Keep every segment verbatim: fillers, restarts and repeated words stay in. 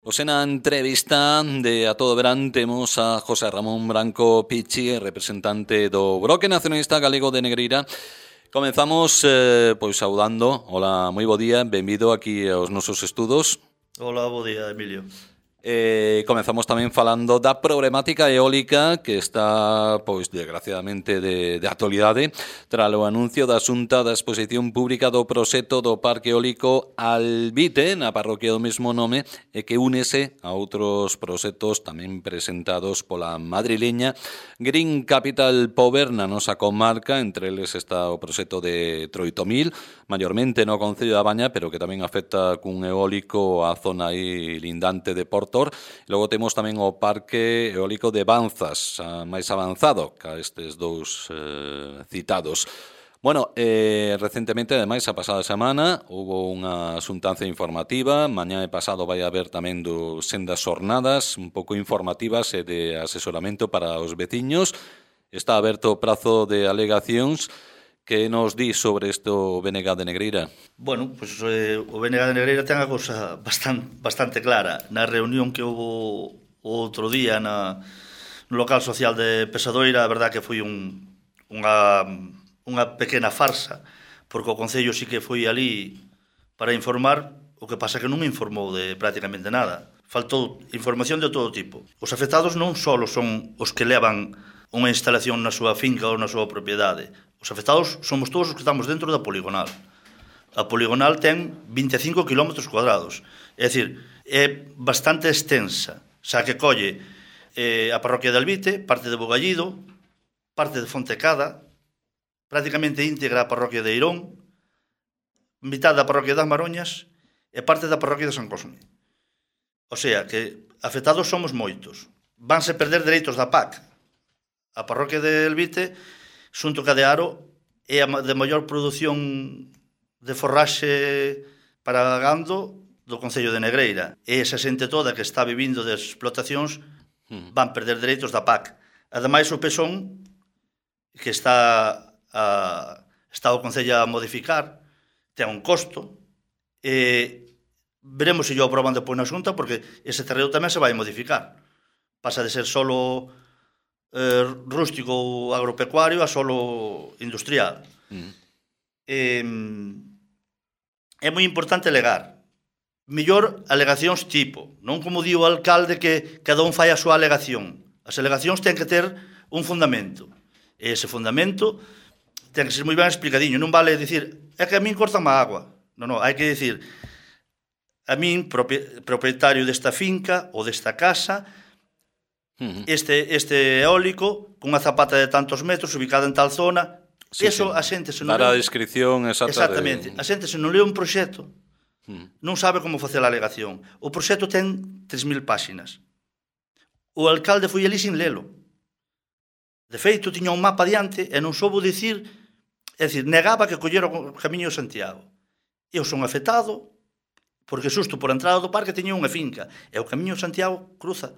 Pois na entrevista de A Todo Verán temos a José Ramón Branco Pichi, representante do Bloque Nacionalista Galego de Negreira. Comenzamos eh, pois saudando. Hola, moi bo día, benvido aquí aos nosos estudos. Hola, bo día, Emilio. Eh, comenzamos tamén falando da problemática eólica que está, pois, desgraciadamente de, de actualidade tras o anuncio da Xunta da exposición pública do proxecto do Parque Eólico Albite na parroquia do mesmo nome e que únese a outros proxectos tamén presentados pola madrileña Green Capital Power na nosa comarca. Entre eles está o proxecto de Troitomil, maiormente no Concello da Baña, pero que tamén afecta cun eólico a zona aí lindante de Porto. Logo temos tamén o Parque Eólico de Banzas, máis avanzado que estes dous eh, citados. Bueno, eh, recentemente, ademais, a pasada semana, houve unha xuntanza informativa. Mañá e pasado vai haber tamén do sendas xornadas un pouco informativas e de asesoramento para os veciños. Está aberto o prazo de alegacións. Que nos di sobre isto o B N G de Negreira? Bueno, pois pues, eh, o B N G de Negreira ten a cousa bastante, bastante clara. Na reunión que houve outro día na, no local social de Pesadoira, a verdad que foi un, unha, unha pequena farsa, porque o Concello sí que foi ali para informar, o que pasa que non me informou de prácticamente nada. Faltou información de todo tipo. Os afectados non só son os que levan unha instalación na súa finca ou na súa propiedade. Os afectados somos todos os que estamos dentro da poligonal. A poligonal ten vinte e cinco kilómetros cuadrados. É dicir, é bastante extensa. Xa que colle eh, a parroquia de Albite, parte de Bogallido, parte de Fontecada, prácticamente íntegra a parroquia de Eirón, mitad da parroquia das Maroñas e parte da parroquia de San Cosme. O sea, que afectados somos moitos. Vanse perder dereitos da P A C. A parroquia de Albite, xunto ca de Aro, é a de maior produción de forraxe para gando do Concello de Negreira. E esa xente toda que está vivindo de explotacións van perder dereitos da P A C. Ademais, o Pesón, que está, a, está o Concello a modificar, ten un costo, e veremos se yo aproban depois na Xunta, porque ese terreo tamén se vai modificar. Pasa de ser solo Eh, rústico ou agropecuario a solo industrial. Mm. Eh, é moi importante alegar. Mellor alegacións tipo, non como di o alcalde que cada un fai a súa alegación. As alegacións ten que ter un fundamento. E ese fundamento ten que ser moi ben explicadiño. Non vale dicir, é que a min cortan a agua. Non, non, hai que dicir, a min, propietario desta finca ou desta casa, Este, este eólico cunha zapata de tantos metros ubicada en tal zona, sí, eso sí. A xente se non dar a leu... descripción exacta. Exactamente, de... a xente se non leu un proxecto mm. non sabe como facer a alegación. O proxecto ten tres mil páxinas. O alcalde foi ali sin lelo. De feito, tiña un mapa diante e non soubo dicir, é dicir, negaba que collera o camiño de Santiago. Eu son afectado porque xusto por a entrada do parque tiña unha finca e o camiño de Santiago cruza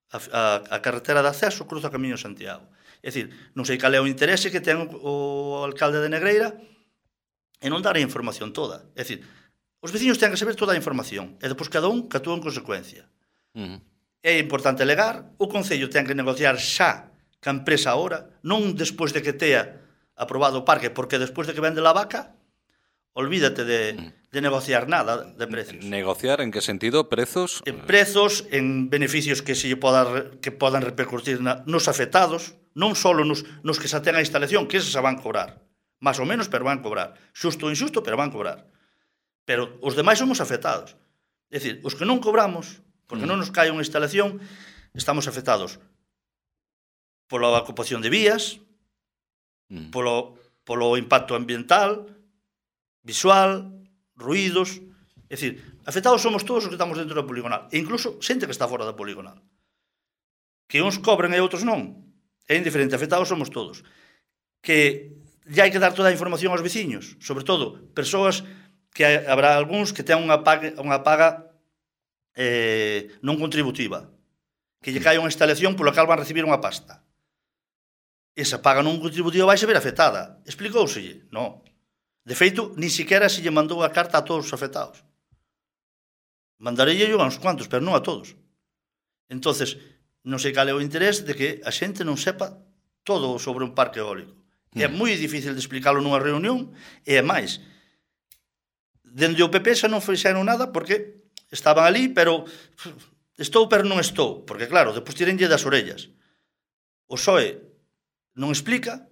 A, a, a carretera de acceso, cruza o camiño de Santiago. É dicir, non sei cal é o interese que ten o, o alcalde de Negreira e non dar a información toda. É dicir, os veciños ten que saber toda a información e depois cada un que actúa en consecuencia. Uh-huh. É importante legar, o Concello ten que negociar xa ca empresa ahora, non despois de que tea aprobado o parque, porque despois de que vende la vaca, olvídate de, de negociar nada de precios. ¿Negociar en qué sentido? ¿Prezos? En prezos, en beneficios que se poda, que podan repercutir na, nos afectados, non só nos, nos que xa ten a instalación, que eses se van cobrar. Más ou menos, pero van cobrar. Xusto ou injusto, pero van cobrar. Pero os demais somos afectados. É dicir, os que non cobramos, porque mm. non nos cae unha instalación, estamos afectados pola ocupación de vías, mm. polo, polo impacto ambiental, visual, ruídos, é dicir, afectados somos todos os que estamos dentro da poligonal, e incluso xente que está fora da poligonal. Que uns cobren e outros non, é indiferente, afectados somos todos. Que ya hai que dar toda a información aos veciños, sobre todo, persoas que habrá algúns que ten unha paga, unha paga eh, non contributiva, que lle cae unha instalación pola cal van recibir unha pasta. Esa paga non contributiva vai se ver afectada. Explicóuselle? Non. De feito, ni siquiera se lle mandou a carta a todos os afectados. Mandarei a uns cuantos, pero non a todos. Entonces, non sei cal é o interés de que a xente non sepa todo sobre un parque eólico. Mm. É moi difícil de explicarlo nunha reunión, e é máis. Dende o P P xa non fixeron nada porque estaban ali, pero estou, pero non estou. Porque, claro, depois tirenlle das orellas. O P S O E non explica,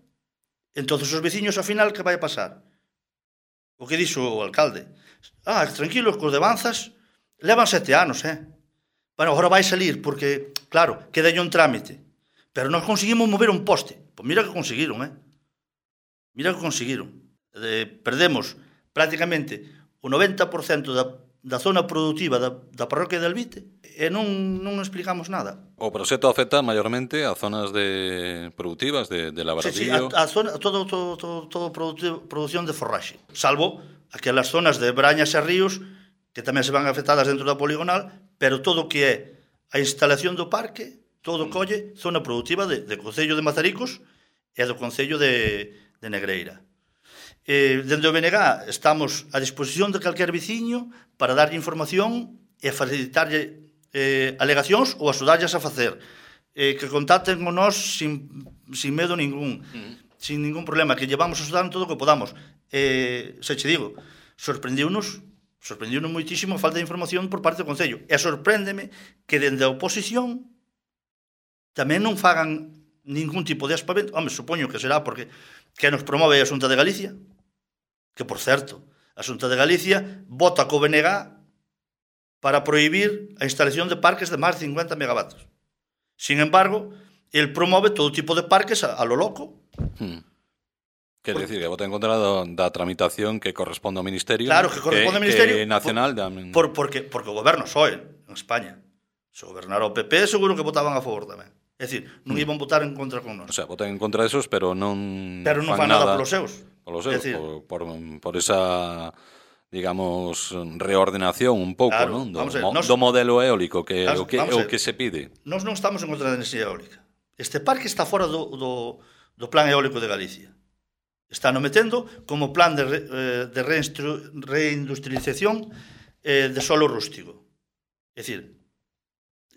entonces os veciños, ao final, que vai a pasar? O que dixo o alcalde. Ah, tranquilos, cos de Banzas levan sete anos, eh? Bueno, agora vai salir, porque, claro, queda un trámite. Pero nós conseguimos mover un poste. Pois mira que conseguiron, eh? Mira que conseguiron. Eh, perdemos prácticamente o noventa por cento da, da zona productiva da, da parroquia de Elvite e non, non explicamos nada. O proxecto afecta maiormente a zonas de productivas de, de labradillo. Sí, sí, a, a zona, todo, todo, todo, todo produción de forraxe. Salvo aquelas zonas de brañas e ríos que tamén se van afectadas dentro da poligonal, pero todo o que é a instalación do parque, todo colle zona productiva de, de Concello de Mazaricos e do Concello de, de Negreira. Eh, dende o B N G estamos a disposición de calquer veciño para darlle información e facilitarlle eh, alegacións ou axudarlles a facer. Eh, que contacten con nós sin, sin medo ningún, mm. sin ningún problema, que llevamos a axudar en todo o que podamos. Eh, se che digo, sorprendiunos sorprendiunos moitísimo a falta de información por parte do Concello. E sorpréndeme que dende a oposición tamén non fagan ningún tipo de aspavento. Home, supoño que será porque que nos promove a Xunta de Galicia, que, por certo, a Xunta de Galicia vota co B N G para prohibir a instalación de parques de máis de cincuenta megavatios. Sin embargo, el promove todo tipo de parques a, a lo loco. Hmm. Quer decir, que vota en contra da, da tramitación que corresponde ao Ministerio. Claro, que corresponde ao Ministerio. Que nacional. Por, por, porque, porque o goberno soe en España. Se gobernara o P P, seguro que votaban a favor tamén. É dicir, non iban votar en contra con nós. O sea, votan en contra desos, pero non pero non fan nada, nada polos seus. Polos seus, decir, por, por, por esa, digamos, reordenación un pouco, claro, non? Do, ver, nos, do modelo eólico, que o que, o que se pide. Nós non estamos en contra da enerxía eólica. Este parque está fora do, do, do plan eólico de Galicia. Está no metendo como plan de, de reindustrialización de solo rústico. É dicir,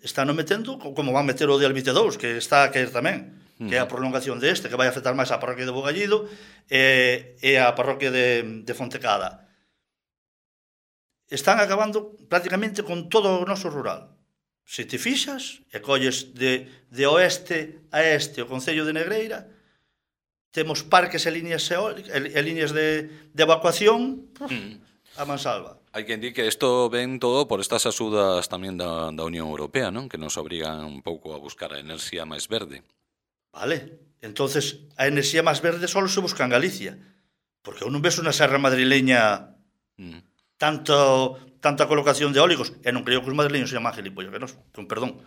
está no metendo como van meter o de Elvite dous, que está a caer tamén, que é a prolongación deste, que vai afectar máis a parroquia de Bogallido e, e a parroquia de, de Fontecada. Están acabando prácticamente con todo o noso rural. Se te fixas e colles de, de oeste a este o Concello de Negreira, temos parques e líneas eólicas, e líneas de, de evacuación mm. a mansalva. Hai quen di que isto ven todo por estas axudas tamén da, da Unión Europea, non? Que nos obrigan un pouco a buscar a enerxía máis verde. Vale, entonces a enerxía máis verde só se busca en Galicia, porque eu non ves unha serra madrileña mm. tanto, tanta colocación de eólicos, e non creo que os madrileños sean máis gilipollos que nos, con perdón,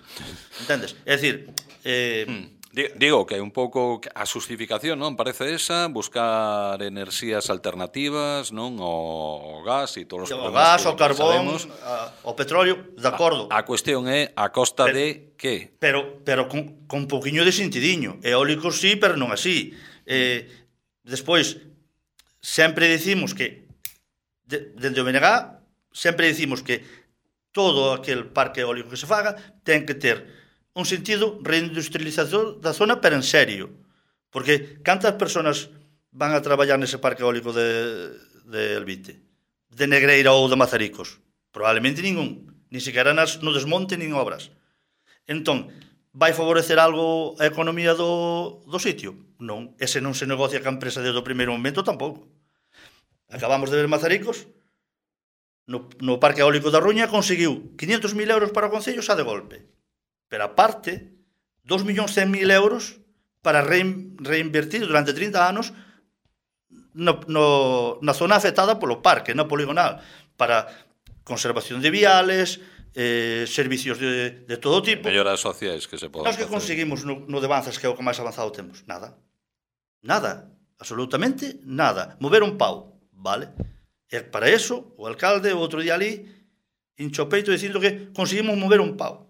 entendes? É dicir, eh... Mm. Digo que un pouco a justificación, non? Parece esa, buscar enerxías alternativas, non? O gas e todos os problemas. O gas, o carbón, a, o petróleo, de acordo. A, a cuestión é a costa pero, de que? Pero pero con, con un poquinho de sentidiño. Eólicos sí, pero non así. Eh, despois, sempre dicimos que, de, dende o B N G, sempre dicimos que todo aquel parque eólico que se faga ten que ter un sentido reindustrializador da zona, pero en serio. Porque cantas persoas van a traballar nese parque eólico de, de Elvite? De Negreira ou de Mazaricos? Probablemente ningún. Ni siquiera nas, no desmonte nin obras. Entón, vai favorecer algo a economía do, do sitio? Non. Ese non se negocia ca empresa desde o primeiro momento tampouco. Acabamos de ver Mazaricos, no, no parque eólico da Ruña conseguiu quinhentos mil euros para o Concello xa de golpe. Pero aparte, dos millóns cen mil euros para reinvertir durante trinta anos no, no, na zona afectada polo parque, na poligonal, para conservación de viales, eh, servicios de, de todo tipo. Melloras sociais que se poden facer. Nós que conseguimos no, no de Banzas, que é o que máis avanzado temos? Nada. Nada. Absolutamente nada. Mover un pau, vale? E para eso, o alcalde, o outro día ali, hincho peito dicindo que conseguimos mover un pau.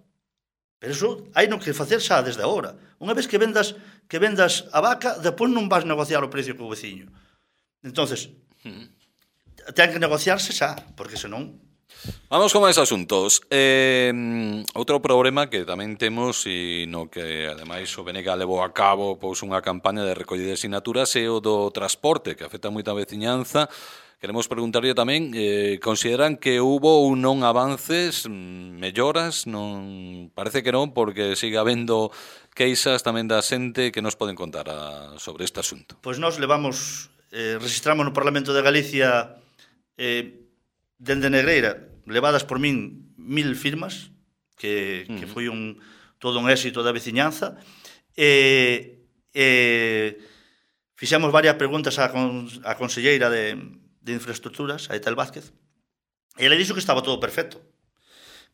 Pero iso hai no que facer xa desde agora. Unha vez que vendas que vendas a vaca, depois non vas negociar o precio co veciño. Entonces, ten que negociarse xa, porque senón Vamos con máis asuntos. Eh, outro problema que tamén temos e no que ademais o B N G levou a cabo pois unha campaña de recollida de sinaturas é o do transporte, que afecta moita veciñanza. Queremos preguntarlle tamén, eh, consideran que hubo ou non avances, melloras? Non, parece que non, porque sigue habendo queixas tamén da xente que nos poden contar a, sobre este asunto. Pois nós levamos, eh, registramos no Parlamento de Galicia eh, dende Negreira, levadas por min mil firmas, que, uh-huh. que foi un, todo un éxito da veciñanza, e, e fixemos varias preguntas á, con, á conselleira de, de infraestructuras, a Etel Vázquez, e ela dixo que estaba todo perfecto,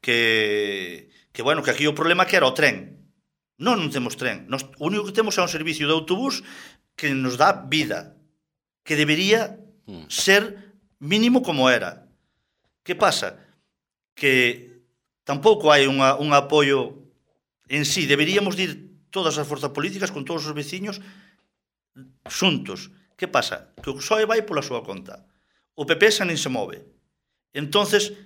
que, que bueno, que aquí o problema que era o tren. Non, non temos tren. Nos, o único que temos é un servicio de autobús que nos dá vida, que debería uh-huh. ser mínimo como era. Que pasa? Que tampouco hai unha, un apoio en sí. Deberíamos ir todas as forzas políticas con todos os veciños xuntos. Que pasa? Que o P S O E vai pola súa conta. O P P xa nin se move. Entonces,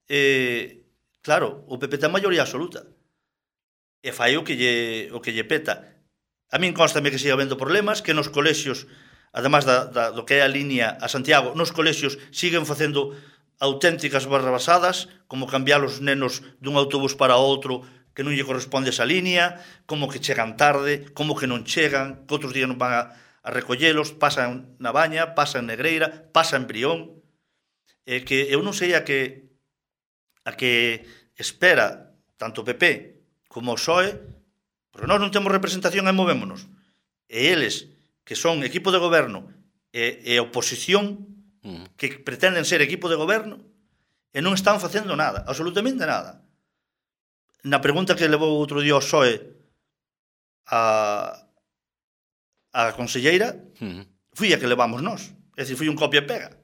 eh, claro, o P P ten maioría absoluta. E fai o que lle, o que lle peta. A min constame que siga habendo problemas, que nos colexios, además da, da, do que é a línea a Santiago, nos colexios siguen facendo auténticas barrabasadas, como cambiar os nenos dun autobús para outro que non lle corresponde esa línea, como que chegan tarde, como que non chegan, que outros días non van a, a recollelos, pasan na Baña, pasan en Negreira, pasan en Brión, e que eu non sei a que a que espera tanto o P P como o P S O E, porque nós non temos representación e movémonos, e eles, que son equipo de goberno e, e oposición, que pretenden ser equipo de goberno e non están facendo nada, absolutamente nada. Na pregunta que levou outro día o P S O E a, a conselleira, fui a que levamos nós. É dicir, fui un copia e pega.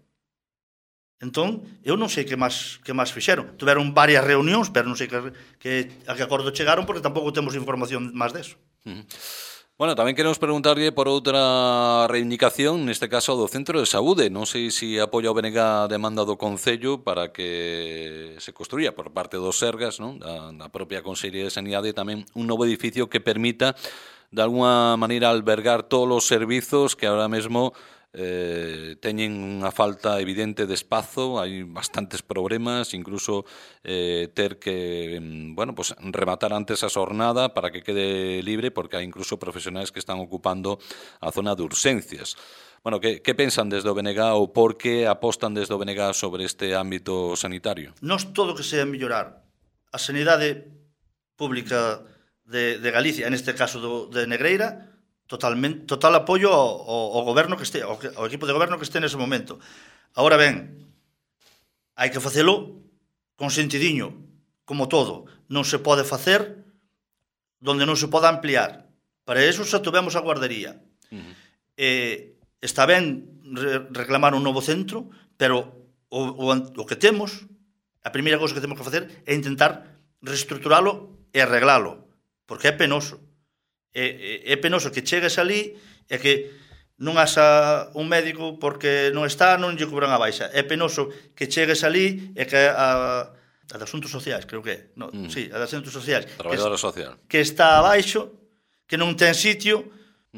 Entón, eu non sei que máis, que máis fixeron. Tuveron varias reunións, pero non sei que, que, a que acordo chegaron, porque tampouco temos información máis deso. Uh-huh. Bueno, tamén queremos preguntarlle por outra reivindicación, neste caso do Centro de Saúde. Non sei se apoia o B N G a demanda do Concello para que se construya por parte dos Sergas, non? Da, da propia Consellería de Sanidade, tamén un novo edificio que permita, de alguna maneira, albergar todos os servizos que ahora mesmo eh, teñen unha falta evidente de espazo, hai bastantes problemas, incluso eh, ter que bueno, pues, rematar antes a xornada para que quede libre, porque hai incluso profesionais que están ocupando a zona de urxencias. Bueno, que, que pensan desde o B N G ou por que apostan desde o B N G sobre este ámbito sanitario? Nos todo que sea mellorar a sanidade pública de, de Galicia, en este caso do, de Negreira, totalmente, total apoio ao, ao, ao goberno que este, ao, ao equipo de goberno que este nese momento. Agora ben, hai que facelo con sentidiño, como todo. Non se pode facer donde non se pode ampliar. Para eso xa tuvemos a guardería. Uh-huh. Eh, está ben re- reclamar un novo centro, pero o, o, o que temos, a primeira cousa que temos que facer é intentar reestructuralo e arreglalo, porque é penoso. É, é, é penoso que chegues ali e que non haxa un médico porque non está, non lle cobran a baixa. É penoso que chegues ali e que a, a de asuntos sociais, creo que é. No, mm. Sí, a de asuntos sociais. Traballadora social. Que está abaixo, que non ten sitio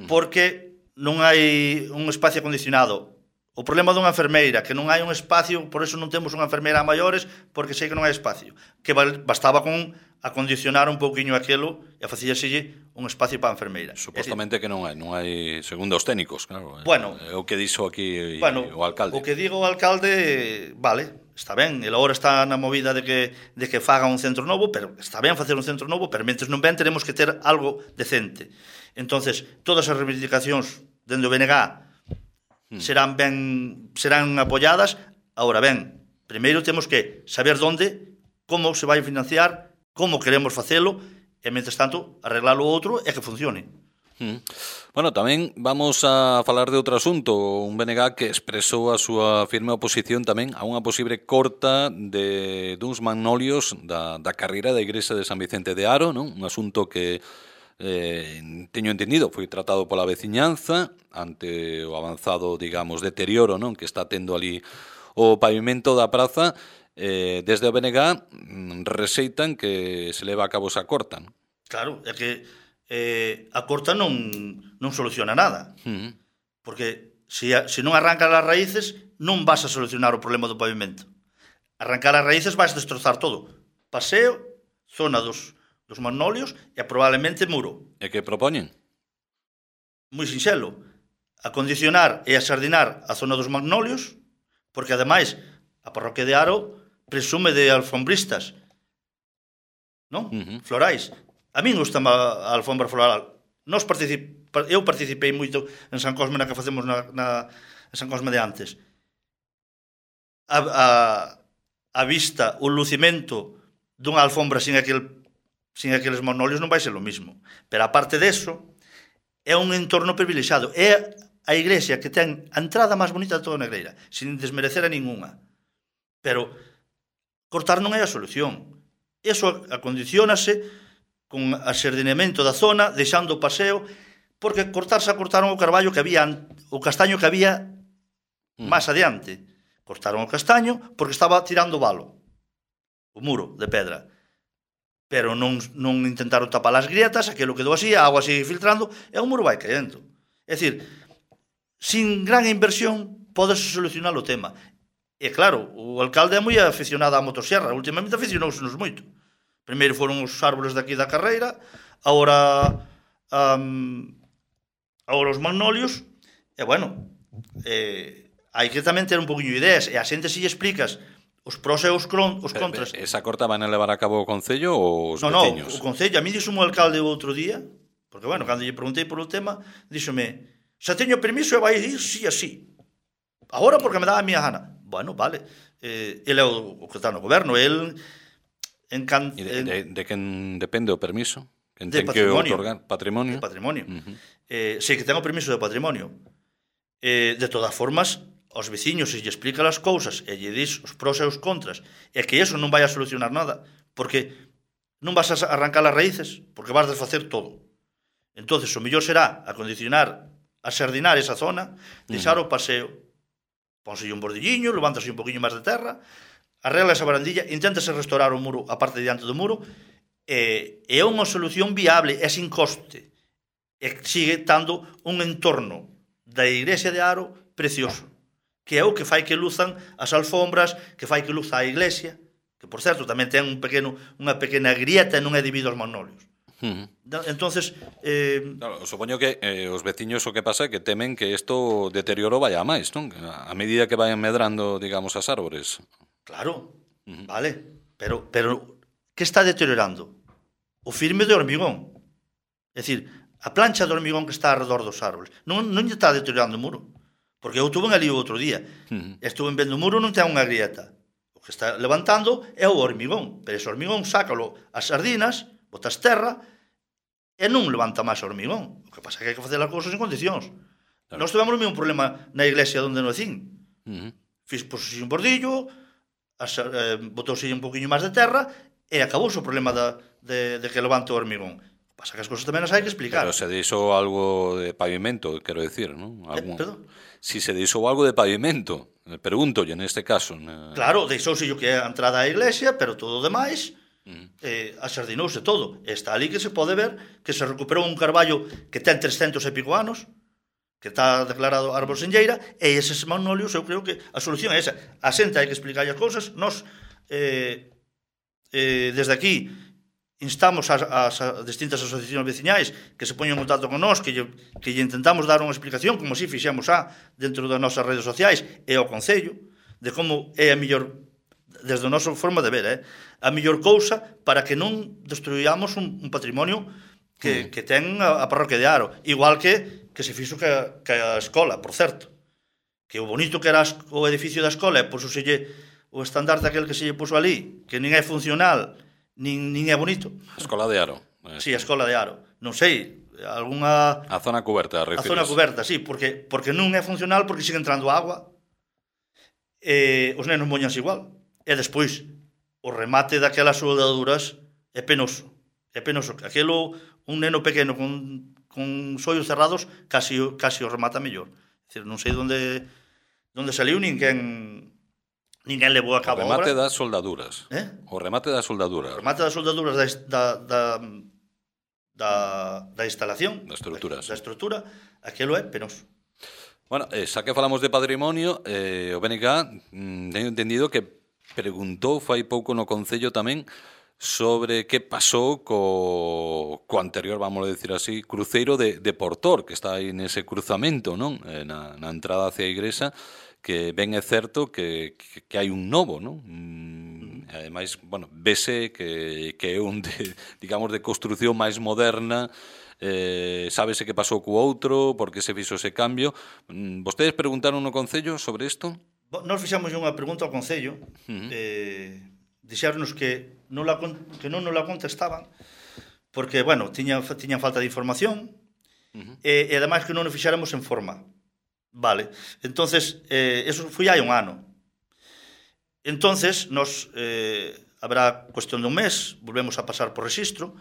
porque non hai un espacio acondicionado. O problema dunha enfermeira, que non hai un espacio, por eso non temos unha enfermeira a maiores, porque sei que non hai espacio. Que bastaba con acondicionar un pouquiño aquilo e facíaselle un espacio para a enfermeira. Supostamente decir, que non hai, non hai, segundo os técnicos, claro. Bueno, é o que dixo aquí bueno, o alcalde. O que digo o alcalde, vale, está ben, ele agora está na movida de que, de que faga un centro novo, pero está ben facer un centro novo, pero mentres non ben teremos que ter algo decente. Entonces, todas as reivindicacións dende o B N G hmm. serán ben serán apoiadas. Agora ben, primeiro temos que saber onde, como se vai financiar, como queremos facelo, e, mentres tanto, arreglar o outro e que funcione. Mm. Bueno, tamén vamos a falar de outro asunto, un B N G que expresou a súa firme oposición tamén a unha posible corta de duns magnolios da, da carreira da Igrexa de San Vicente de Aro, non? Un asunto que eh, teño entendido foi tratado pola veciñanza ante o avanzado, digamos, deterioro, non? Que está tendo ali o pavimento da praza. eh, desde o B N G reseitan que se leva a cabo esa corta. Claro, é que eh, a corta non, non soluciona nada. Uh -huh. Porque se, se non arrancas as raíces, non vas a solucionar o problema do pavimento. Arrancar as raíces vais destrozar todo. Paseo, zona dos, dos magnolios e probablemente muro. E que propoñen? Moi sinxelo. Acondicionar e asardinar a zona dos magnolios, porque ademais a parroquia de Aro presume de alfombristas, non? Uh -huh. Florais. A min gusta a alfombra floral. Nos particip... Eu participei moito en San Cosme na que facemos na, na en San Cosme de antes. A, a, a vista, o lucimento dunha alfombra sin aquel sin aqueles magnolios non vai ser o mismo. Pero aparte deso, é un entorno privilexiado. É a iglesia que ten a entrada máis bonita de toda a Negreira, sin desmerecer a ninguna. Pero cortar non é a solución. Eso acondicionase con asardinamento da zona, deixando o paseo, porque cortarse cortaron o carballo que había, o castaño que había máis adiante. Cortaron o castaño porque estaba tirando valo, o muro de pedra. Pero non, non intentaron tapar as grietas, aquilo quedou así, a agua sigue filtrando, e o muro vai caendo. É dicir, sin gran inversión, podes solucionar o tema. E claro, o alcalde é moi aficionado á motosierra, últimamente aficionousenos moito. Primeiro foron os árboles daqui da carreira, agora um, agora os magnolios, e bueno, eh, hai que tamén ter un poquinho de ideas, e a xente se lle explicas os pros e os, cron, os contras. Esa corta van a levar a cabo o Concello ou os no, veciños? No, o Concello, a mí dixo o alcalde o outro día, porque bueno, cando lle preguntei por o tema, díxome, xa teño permiso e vai ir si así. Agora porque me dá a miña gana. Bueno, vale. Eh, ele é o, o que está no goberno, el encan... E de, de, de quen depende o permiso? Quen de ten que patrimonio. otorgar? Patrimonio? De patrimonio. Uh -huh. eh, sei que ten o permiso de patrimonio. Eh, de todas formas, aos veciños se lle explica as cousas e lle dis os pros e os contras, e que eso non vai a solucionar nada, porque non vas a arrancar as raíces, porque vas a desfacer todo. Entonces, o mellor será acondicionar, asardinar esa zona, deixar uh -huh. o paseo, pónselle un bordilliño, levántase un poquinho máis de terra, arregla esa barandilla, inténtase restaurar o muro, a parte diante do muro, e é unha solución viable, é sin coste, e sigue dando un entorno da iglesia de Aro precioso, que é o que fai que luzan as alfombras, que fai que luza a iglesia, que, por certo, tamén ten un pequeno, unha pequena grieta e non é debido aos magnolios. Uh -huh. Entonces, eh... claro, supoño que eh, os veciños o que pasa é que temen que isto deterioro vaya a máis, non? A medida que vayan medrando, digamos, as árbores. Claro, uh -huh. Vale, pero, pero que está deteriorando? O firme de hormigón. É dicir, a plancha de hormigón que está alrededor dos árboles. Non, non lle está deteriorando o muro. Porque eu estuve ali o outro día. Uh -huh. Estuve vendo o muro, non ten unha grieta. O que está levantando é o hormigón. Pero ese hormigón, sácalo as sardinas, botas terra, e non levanta máis o hormigón. O que pasa é que hai que facer as cousas en condicións. Claro. Nós tivemos o mesmo problema na iglesia onde non cín. Uh -huh. Fiz posesión un bordillo, as, eh, botouse un poquinho máis de terra, e acabouse o problema da, de, de que levanta o hormigón. Pasa que as cousas tamén as hai que explicar. Pero se deixou algo de pavimento, quero decir, ¿no? Algún... Eh, perdón? Si se deixou algo de pavimento, pregúntolle neste caso. Ne... Claro, deixouse o que é a entrada á iglesia, pero todo o demais mm. eh, asardinouse todo. Está ali que se pode ver que se recuperou un carballo que ten trescentos e pico anos, que está declarado árbol senlleira, e eses magnolios, eu creo que a solución é esa. A xente hai que explicar as cousas, nós eh, eh, desde aquí instamos as, as, as distintas asociacións veciñais que se poñen en contacto con nós, que lle, que lle intentamos dar unha explicación, como si fixemos a dentro das nosas redes sociais e ao Concello, de como é a mellor, desde a nosa forma de ver, eh, a mellor cousa para que non destruyamos un, un patrimonio que, mm. que ten a, a parroquia de Aro, igual que, que se fixo que a, que a escola, por certo, que o bonito que era o edificio da escola, e pois o, selle, o estandarte aquel que se lle puso ali, que nin é funcional, nin, nin é bonito. A escola de Aro. Si, sí, a escola de Aro. Non sei, algunha... A zona coberta, refires. A zona coberta, sí, porque, porque non é funcional, porque sigue entrando agua, e os nenos moñanse igual. E despois, o remate daquelas soldaduras é penoso. É penoso. Aquelo, un neno pequeno con, con sollos cerrados, casi, casi o remata mellor. É dicir, non sei onde, onde saliu, nin quen, ninguén levou a cabo o remate a obra. das soldaduras. Eh? O remate das soldaduras. O remate das soldaduras da, da, da, da, da instalación, da estrutura, da, da estrutura, aquilo é penoso. Bueno, eh, xa que falamos de patrimonio, eh, o B N K mm, teño entendido que preguntou fai pouco no Concello tamén sobre que pasou co, co anterior, vamos a decir así, cruceiro de, de Portor, que está aí nese cruzamento, non? Eh, na, na entrada hacia a Igrexa, que ben é certo que, que, que hai un novo, non? Mm, ademais, bueno, vese que, que é un, de, digamos, de construción máis moderna, eh, sábese que pasou co outro, por que se fixo ese cambio. Mm, vostedes preguntaron no Concello sobre isto? Nos fixamos unha pregunta ao Concello, uh-huh. eh, dixéronos que non la, que non nos la contestaban, porque, bueno, tiña, tiñan falta de información, uh-huh. e, e ademais que non nos fixáramos en forma. Vale, entonces, eh, eso foi hai un ano. Entonces, nos, eh, habrá cuestión dun mes, volvemos a pasar por registro,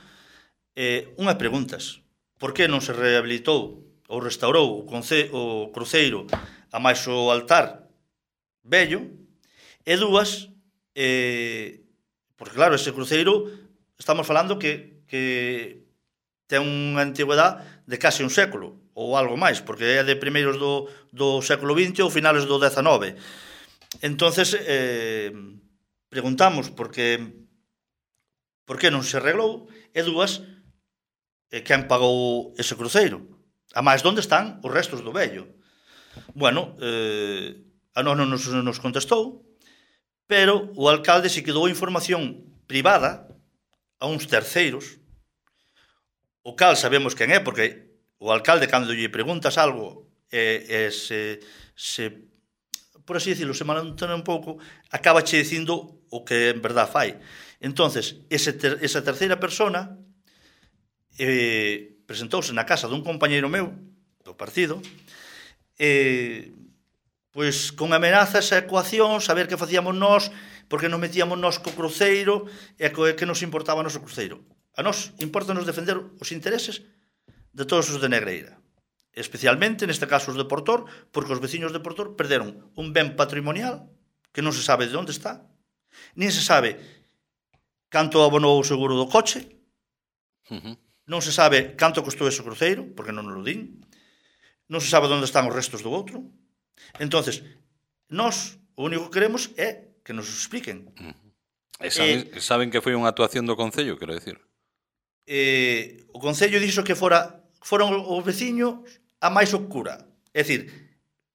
eh, unha preguntas. Por que non se rehabilitou ou restaurou o, conce, o cruceiro a máis o altar vello? E dúas, eh, porque claro, ese cruceiro, estamos falando que, que ten unha antigüedade de case un século, ou algo máis, porque é de primeiros do, do século vinte ou finales do dezanove. Entonces, eh, preguntamos por que, por que non se arreglou, e dúas, eh, quen pagou ese cruceiro? A máis, onde están os restos do vello? Bueno, eh, a nós non nos, nos contestou, pero o alcalde se quedou información privada a uns terceiros, o cal sabemos quen é, porque o alcalde, cando lle preguntas algo, e, e se, se, por así decirlo, se malentende un pouco, acaba che dicindo o que en verdad fai. Entonces, ese ter, esa terceira persona eh, presentouse na casa dun compañeiro meu, do partido, e, pois, con amenazas e ecuacións, a ver que facíamos nós, porque nos metíamos nós co cruceiro, e que nos importaba o noso cruceiro. A nós importa-nos defender os intereses de todos os de Negreira, especialmente neste caso os de Portor, porque os veciños de Portor perderon un ben patrimonial que non se sabe de onde está, nin se sabe canto abonou o seguro do coche, uh-huh. non se sabe canto costou ese cruceiro, porque non nos lo din, non se sabe onde están os restos do outro. Entonces, nós o único que queremos é que nos expliquen. Uh-huh. E saben, eh, saben que foi unha actuación do Concello, quero decir? Eh, o Concello dixo que fora foron os veciños a máis oscura. É dicir,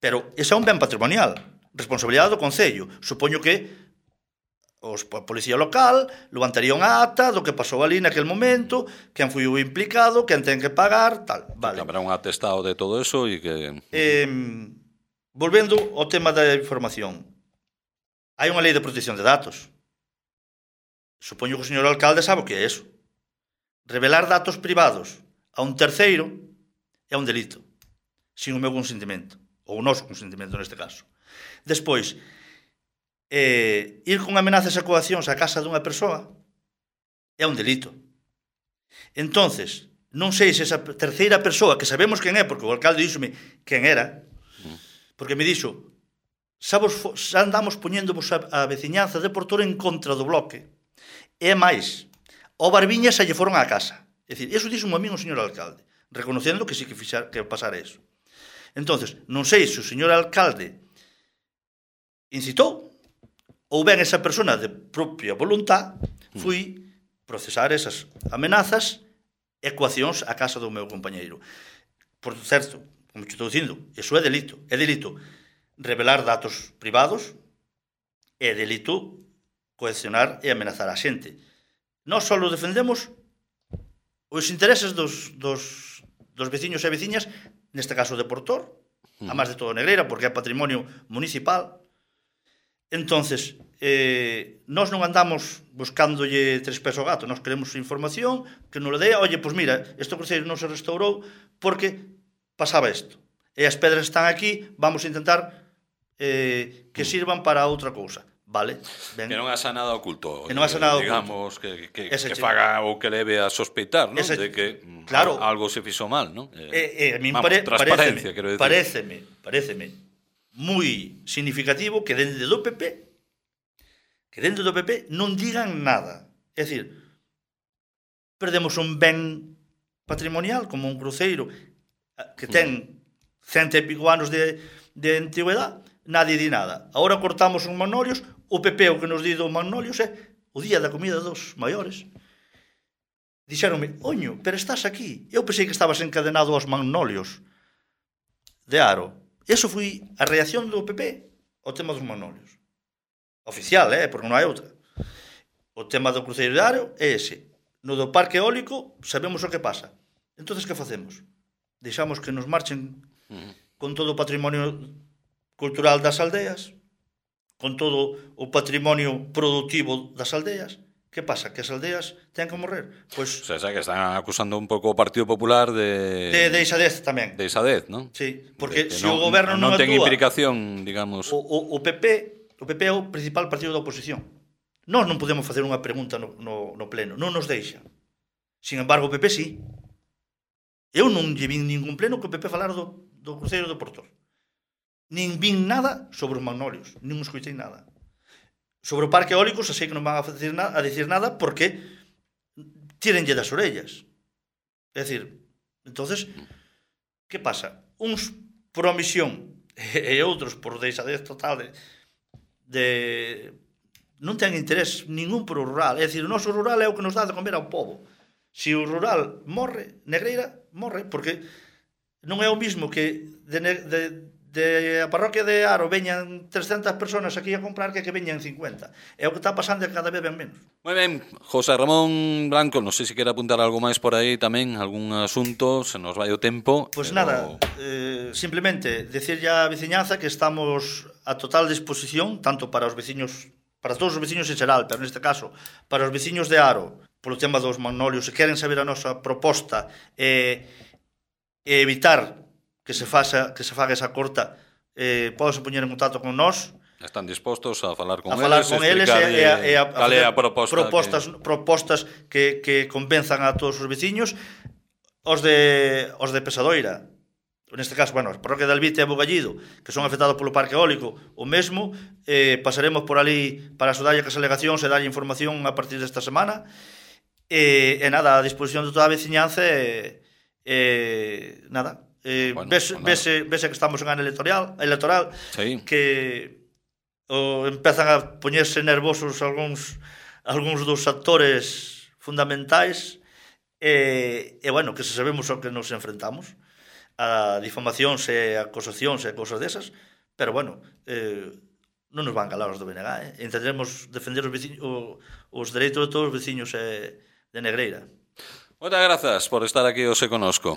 pero ese é un ben patrimonial, responsabilidade do Concello. Supoño que os, a policía local levantaría unha ata do que pasou ali naquel momento, quen foi o implicado, quen ten que pagar, tal. Vale. Habrá un atestado de todo eso e que... Eh, volvendo ao tema da información. Hai unha lei de protección de datos. Supoño que o señor alcalde sabe o que é eso. Revelar datos privados a un terceiro é un delito, sin o meu consentimento, ou o noso consentimento neste caso. Despois, eh, ir con amenazas e coaccións á casa dunha persoa é un delito. Entonces, non sei se esa terceira persoa, que sabemos quen é, porque o alcalde díxome quen era, porque me dixo, sabos, xa andamos poñéndovos a, a veciñanza de Portor en contra do bloque, e máis, o Barbiña xa lle foron á casa. É dicir, eso dixo un amigo o señor alcalde, reconocendo que sí que, fixar, que pasara eso. Entonces, non sei se o señor alcalde incitou ou ben esa persona de propia voluntad foi procesar esas amenazas e coaccións á casa do meu compañeiro. Por certo, como te estou dicindo, eso é delito. É delito revelar datos privados, é delito coaccionar e amenazar a xente. Nós só defendemos os intereses dos, dos, dos veciños e veciñas, neste caso de Portor, a máis de todo Negreira, porque é patrimonio municipal. Entonces, eh, nós non andamos buscándolle tres pés ao gato, nós queremos información que nos le dé, oye, pois mira, este cruceiro non se restaurou porque pasaba isto. E as pedras están aquí, vamos a intentar eh, que sirvan para outra cousa. Vale, ben. Que non haxa nada oculto. Que non haxa nada digamos, oculto. Digamos, que, que, que faga ou que leve a sospeitar, ¿no? Ese, de que claro, algo se fixo mal, ¿no? Eh, eh, a min vamos, pare, transparencia, pareceme, quero decir. Pareceme, pareceme moi significativo que dende do P P que dentro do P P non digan nada. É dicir, perdemos un ben patrimonial como un cruceiro que ten cento e pico anos de, de antigüedade, nadie di nada. Agora cortamos uns magnolios, o P P o que nos di dos magnolios é o día da comida dos maiores. Dixeronme, oño, pero estás aquí. Eu pensei que estabas encadenado aos magnolios de Aro. Eso foi a reacción do P P ao tema dos magnolios. Oficial, eh, porque non hai outra. O tema do cruceiro de Aro é ese. No do parque eólico sabemos o que pasa. Entonces, que facemos? Deixamos que nos marchen con todo o patrimonio cultural das aldeas, con todo o patrimonio productivo das aldeas. Que pasa? Que as aldeas ten que morrer? Pois, o sea, que están acusando un pouco o Partido Popular de... De, de isadez tamén. De isadez, non? Sí, porque se non, o goberno non, non ten actúa... implicación, digamos... O, o, o P P o P P é o principal partido da oposición. Nós non podemos facer unha pregunta no, no, no pleno. Non nos deixa. Sin embargo, o P P sí. Eu non lle vin ningún pleno que o P P falar do, do cruceiro do Portor. Nin vin nada sobre os magnolios. Nin escoitei nada. Sobre o parque eólico, xa sei que non van a decir, na, a decir nada porque tírenlle das orellas. É dicir, entonces, que pasa? Uns por omisión e outros por deixadez total de, de non ten interés ningún por o rural. É dicir, o noso rural é o que nos dá de comer ao povo. Se o rural morre, Negreira morre, porque non é o mismo que de, de, de a parroquia de Aro veñan trescentas personas aquí a comprar que que veñan cincuenta. É o que está pasando e cada vez ven menos. Moi ben, José Ramón Blanco, non sei se quere apuntar algo máis por aí tamén, algún asunto, se nos vai o tempo. Pois pero... nada, eh, simplemente decirlle á veciñanza que estamos a total disposición, tanto para os veciños, para todos os veciños en xeral, pero neste caso, para os veciños de Aro, polo tema dos magnolios, se queren saber a nosa proposta e, e evitar que se faça que se faga esa corta, eh, podes poñer en contacto con nós. Están dispostos a falar con a falar eles, con eles e, e, a, e a, cal é a proposta propostas, que... propostas que, que convenzan a todos os veciños. Os de os de Pesadoira, neste caso, bueno, a parroquia de Albite e Bogallido, que son afectados polo parque eólico, o mesmo, eh, pasaremos por ali para axudarlle as alegacións e darlle información a partir desta semana. E, e nada, a disposición de toda a veciñanza e, e nada, e, bueno, vese, pues vese, vese que estamos en ano electoral, electoral sí. Que o, empezan a poñerse nervosos algúns algúns dos actores fundamentais e, e bueno, que se sabemos ao que nos enfrentamos, a difamacións e acusacións e cosas desas, pero bueno, eh, non nos van calar os do B N G, eh? Intentaremos defender os, veciños, o, os dereitos de todos os veciños eh, de Negreira. Moitas grazas por estar aquí hoxe conosco.